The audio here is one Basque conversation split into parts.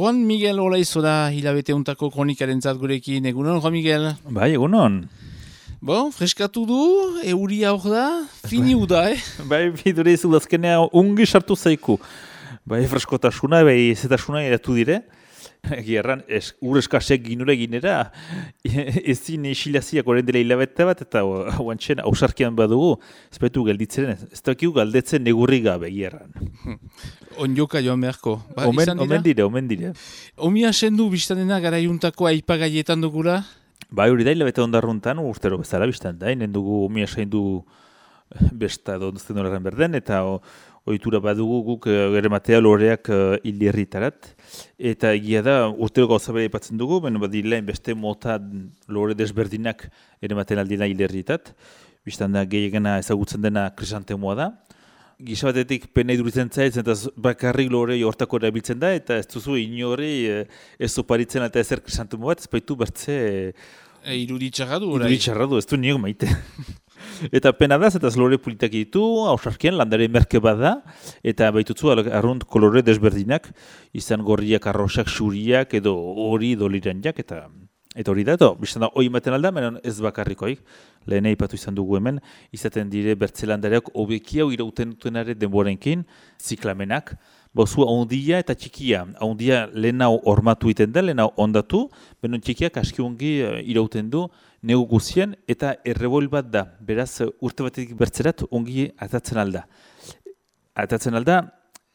Juan Miguel Olaizo da hilabete untako kronikaren zat gurekin. Egunon, Juan Miguel? Bai, egunon. Bon, freskatu du, euria hor da, fini uda, Bai, bidure izu dazkenea ungi sartu zaiku. Bai, freskotasuna, bai, ezetasuna eratu dire. Gerran, ur eskasek ginure ginera, ezin isilaziak oren dela hilabete bat, eta guantxen ausarkian badugu, ezpetu gelditzeren, ez dakiu galdetzen negurri gabe, gerran. Onjoka joan beharko. Ba, Omen dire. Omi asendu biztanena garaiuntako aipagaietan dugula? Bai, hori da hilabete ondarruntan, urtero bezala biztan da, inen dugu omi asendu besta donzten horren berden, eta ohitura badugu guk gerematea loreak hilirritarat. Eta egia da, urtero gauza bere ipatzen dugu, beno badilein beste mota lore desberdinak erematen aldina hilirritat. Bistan da, gehiagena ezagutzen dena krisantemoa da. Gisa batetik pena iduritzen zaiz, eta bakarrik lore hortako erabiltzen da, eta ez duzu inori ez oparitzen eta ezer krisantemoa bat, ez baitu bertze... Iruditxarra du, orai? Iruditxarra du, ez du niok maite. Eta pena da, eta lore politak ditu, hausarkian landare merke bat da, eta baitutzu arrunt kolore desberdinak, izan gorriak, arrosak, xuriak, edo hori doliranjak, eta hori da, biztan da, hoi ematen alda, menon ez bakarrikoik, lehen aipatu izan dugu hemen, izaten dire bertzelandareak hobekiau irauten dutenare denborenkin, ziklamenak, bozu ahondia eta txikia. Ahondia lehen hau hormatu iten da, lehen hau ondatu, benon txikiak aski ongi irauten du, negu guzien, eta errebol bat da. Beraz, urte batetik bertzerat ongi atatzen alda. Atatzen alda,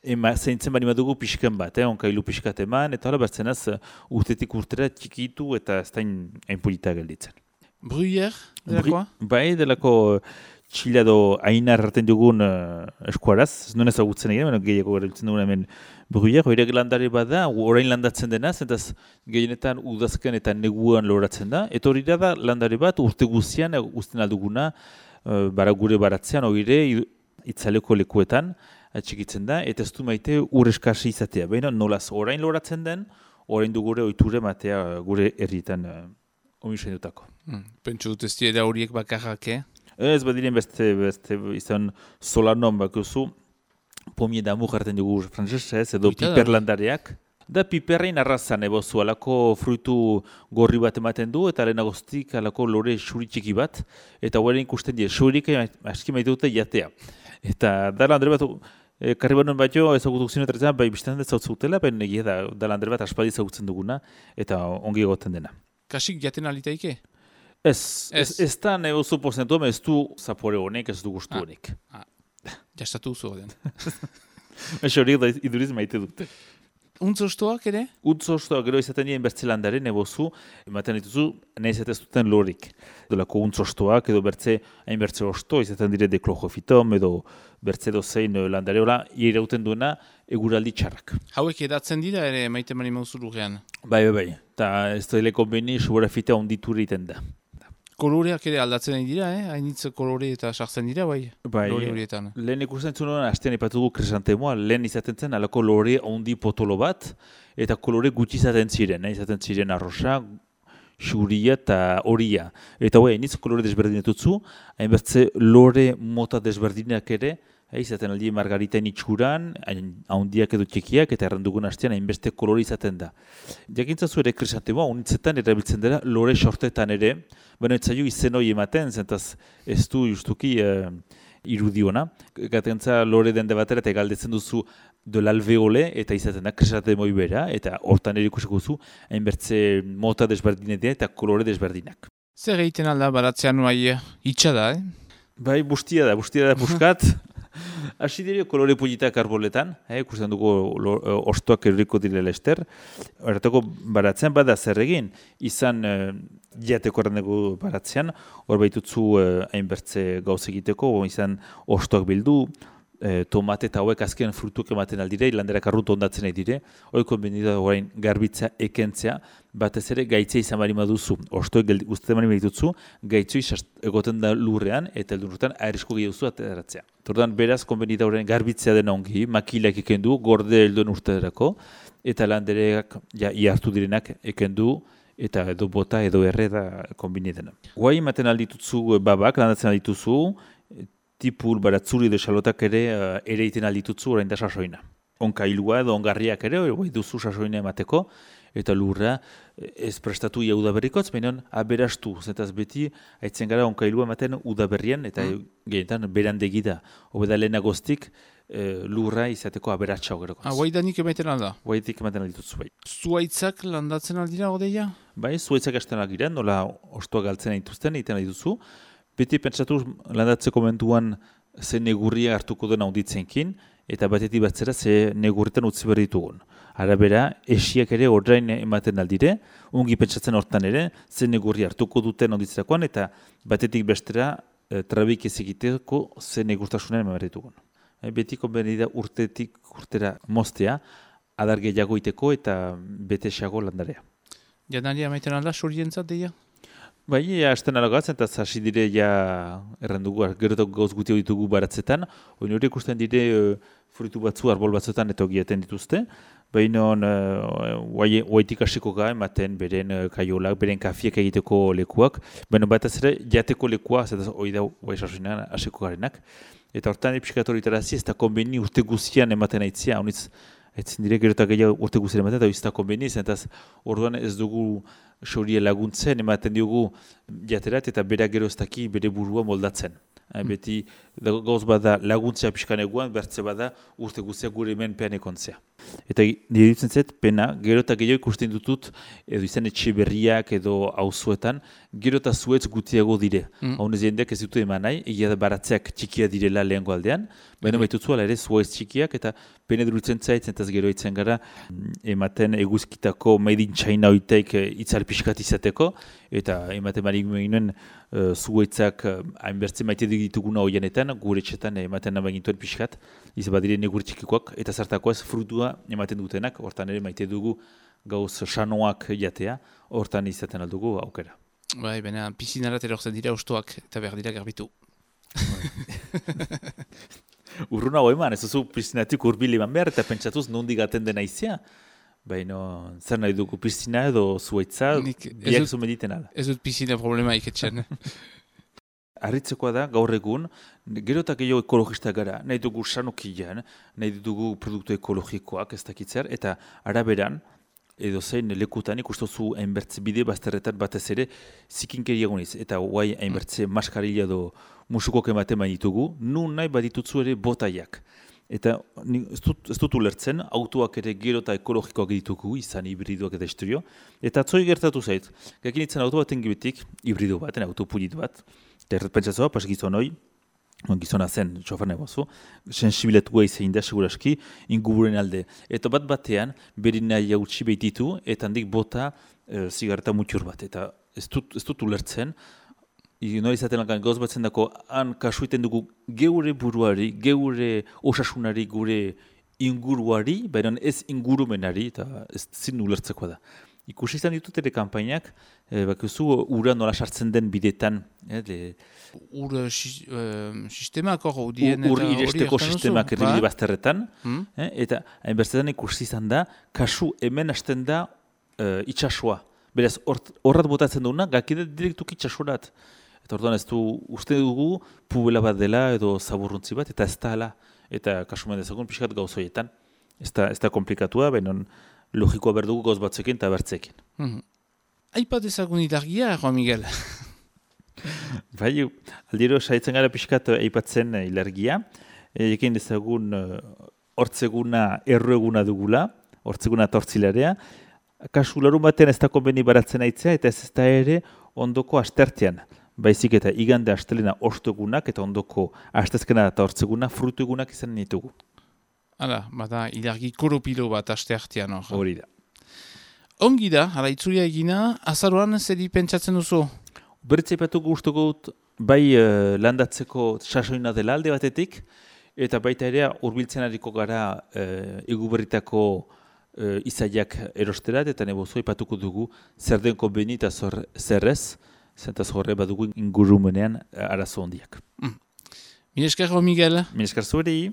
zeintzen bani badugu pixken bat, onkailu pixkat eman, eta hola bertzenaz urtetik urtera txikitu eta ez da hainpolita gelditzen. Bruyère, delakoa? Bai, delako txila do ainar hartzen dugun eskuaraz, ez nuen ezagutzen egin, gehiago erabiltzen dugun hemen Bruyère, horiek landare bat da, orain landatzen denaz, eta gehienetan udazken eta neguan loratzen da, eta hori da landare bat urte guztian guztien alduguna gure baratzean, hori itzaleko lekuetan atxikitzen da, eta ez du maite ur eskasi izatea. Baina nolaz orain loratzen den, orain du gure ohiture matea gure herrietan omisen dutako. Pentsu dut ez dira horiek bakarrak, Ez badiren beste izan solanon bakuzu, pomie d'amour hartzen dugu frantzesez, edo piperlandareak. Da piperrein arrazan ebozu, alako fruitu gorri bat ematen du, eta lehenagoztik alako lore xuritxiki bat, eta horrein ikusten die, xurik aski maite dute jatea. Eta da landare bat, karri banon bat jo, ezagutuk zinetretzen, bai biztan dut zautzutela, baina egia da landare bat aspaldi ezagutzen duguna, eta ongi egoten dena. Kasik jaten alitaike? Ez da negozu porzentua, ez du zapore honek, ez du gustu honek. Jastatu zu den. Eso horiek da iduriz maite dute. Untzostoak ere? Untzostoak gero izaten dien bertzelandare nebozu, ematen dituzu, nahi ez duten lorik. Dolako untzostoak edo hain bertze osto, izaten dire deklojofitom edo bertze dozein landare hola, irauten duena eguraldi txarrak. Hauek edatzen dira ere maite mani mauzu lurrean? Bai. Eta ez da hileko beni suborafitea onditur egiten da. Koloreak ere aldatzen dira, hainitz kolore eta sartzen dira, bai? Lore horietan. Lehen ikusten zuen hastean ipatu dugu krisantemoa, lehen izaten zen alako lore ondi potolo bat, eta kolore gutxi izaten ziren arrosa, xuria eta horia. Eta hainitz kolore desberdinetutzu, hainbertze lore mota desberdinak ere, izaten aldi margariten itxuran, haundiak edo txikiak, eta errandugun hastean hainbeste kolore izaten da. Jakintzazu ere krisantemoa, unitzetan erabiltzen dira lore sortetan ere, baina ez zaio izen hori ematen, zentaz ez du justuki irudiona. Gatentza lore dende batera eta galdetzen duzu de l'alveole, eta izaten da krisantemoi bera, eta hortan ere ikusiko zu, hainbertze mota desberdinetan eta kolore desberdinak. Zer egiten alda baratzean nuai itxa da, Bai, bustia da puskat. Hasi dire kolore politak arboletan, ikusten dugu ostoak eruriko direla ester. Horretako baratzean bada zer egin, izan jateko errandeko baratzean, hor baitutzu hainbertze gauz egiteko, izan ostoak bildu, tomate eta hauek azken frutuk ematen aldire, landerak arrut ondatzen nahi dire, hori konbenida orain garbitza ekentzea, batez ere gaitzea izan bari maduzu. Ostoek guztetan bari baditutzu, gaitzoi egoten da lurrean, eta eldurrutan airisko gehiaguzu ateratzea. Tordan beraz konbenida orain garbitzea dena ongi, makilak ekendu, gorde helduen urtederako, eta landereak iartu direnak ekendu, eta edo bota edo erre da konbinidena. Guai ematen alditutzu babak, landatzen aldituzu, tipul, baratzuri edo xalotak ere iten alditutzu orain da sasoina. onkailua edo ongarriak ere, bai duzu sasoina emateko, eta lurra ez prestatu ia udaberrikotz, baina aberastu, zetaz beti, haitzen gara onkailua ematen udaberrian, eta genetan berandegi da. Hobeda lehenagoztik lurra izateko aberatsa ogerokotz. Guaidanik emaiten alda? Guaidanik ematen alditutzu, bai. Zuaitzak landatzen aldira, odeia? Bai, zuaitzak hasten algira, nola ostoa galtzen dituzten, egiten alituzu. Beti pentsatu landatzeko momentuan ze negurria hartuko den auditzenkin, eta batetik batzera ze negurretan utzi behar ditugun. Arabera, esiak ere orain ematen aldire, ungi pentsatzen hortan ere, ze negurri hartuko duten auditzerakoan, eta batetik bestera trabik ez egiteko ze negurtasunen ematen ditugun. Beti konbenida urtetik urtera moztea, adar gehiago iteko eta betesago landarea. Janaria maiten alda, surientzat deia? Bai, hasten alagatzen, eta hasi dire errandugu, gerotak gauz guti ditugu baratzetan, hori ikusten dire fruitu batzu, arbol batzuetan eta giaten dituzte, baina oaitik hasiko ga ematen beren kaiolak, beren kafiek egiteko lekuak, baina bat ez ere jateko lekua, zetaz hori da oai sasunean hasiko garenak, eta hortan epsikatoritarazi ez da konbeni urte guzian ematen aitzia, honitz, etzen dire gerotak gehiago urte guzian ematen, eta ez da konbeni, zetaz orduan ez dugu soria laguntzen, ematen diogu jaterat eta bera gero ez daki bere burua moldatzen. Beti gauz bada laguntzea pixkaneguan, bertze bada urte guztiak gure menpean ekontzea. Eta nire ditzen zet, pena, gero eta gehiago ikusten dutut, edo izan etxe berriak edo auzuetan, gero eta zuetz gutiago dire. Haunez jendeak ez dute eman nahi, egia da baratzeak txikia direla lehengo aldean, baina baitutzu ala ere zuetz txikiak, eta pena durutzen zait, zentaz gero itzen gara, ematen eguzkitako made in China oiteik itzal pixkat izateko, eta ematen marik ginen zuetzak hainbertze maite dituguna hoianetan, gure etxetan ematen nabain gintuen pixkat, izan badire negur txikikoak, eta zartakoaz frutua ematen dutenak, hortan ere maite dugu gauz sanoak jatea, hortan izaten aldugu aukera. Bai, baina pisinarat erortzen dira ustoak eta behar dira garbitu. Urruna hau eman, ez duzu pisinatik urbil eman behar, eta pentsatuz nondik gaten dena izia. Baina, zer nahi dugu pisina edo zuaitza, biak zu mediten ala. Ez dut pisina problema iketxen. Arritzekoa da, gaur egun, gero eta gehiago ekologista gara, nahi dugu sanokian, nahi dugu produktu ekologikoak ez dakitzer, eta araberan, edo zein lekutan ikustozu hainbertze bide bazterretan batez ere zikinkeria guniz, eta guai hainbertze maskarilla edo musukok ematen ditugu, nun nahi baditutzu ere botaiak. Eta ez dut ulertzen, autoak ere gero eta ekologikoak ditugu, izan hibridoak eta historio. Eta atzoi gertatu zait, gakinitzen auto baten gibetik, hibrido bat, autopulit bat, eta erretpentsatzoa, pas gizon hoi, gizona zen, txofar nahi bozu, sensibiletua izan da, seguraski, ingururen alde. Eta bat batean, berin nahi hautsi behititu, eta handik bota zigareta mutxur bat. Eta ez dut ulertzen, nori izaten lakan gauz batzen dako, han kasuiten dugu geure buruari, geure osasunari, gure inguruari, baina ez ingurumenari, eta ez zin ulertzeko da. Ikusi izan ditut ere kampainak, bakizu ura nola sartzen den bidetan. Ur sistemak hor dien. Ur iresteko sistemak erribide bazterretan. Eta hainbertzetan ikusi izan da, kasu hemen hasten da itxasua. Beraz, horrat botatzen duguna, gakide direktuk itxasurat. Eta orduan ez du uste dugu pubela bat dela edo zaburruntzi bat, eta ez da hala. Eta kasumen dezagun pixkat gauzoietan. Ez da komplikatua, baina logikoa berdugu gauz batzekin eta bertzekin. Aipat ezagun ilargia, Juan Miguel? Bai, aldiro saitzen gara pixkat aipatzen ilargia. Ekin dezagun hortzeguna errueguna dugula, hortzeguna tortzilarea. Kasu larun batean ez da konbeni baratzen aitzea, eta ez da ere ondoko astertean. Baizik eta igande astelena ostuegunak eta ondoko astezkena eta hortzeguna frutuegunak izan ditugu. Hala, bada ilargi koropilo bat aste artean hor. Hori da. Ongi da, hala itzulia egina, azaroan zeri pentsatzen duzu? Beritza ipatuko gustuko bai landatzeko sasoina dela alde batetik, eta baita ere hurbiltzen ariko gara eguberritako izaiak erosterat, eta nebozo ipatuko dugu zer den konbeni eta zer ez, zentaz horre badugu ingurumenean arazo hondiak. Mil esker, Miguel. Mil esker zueri.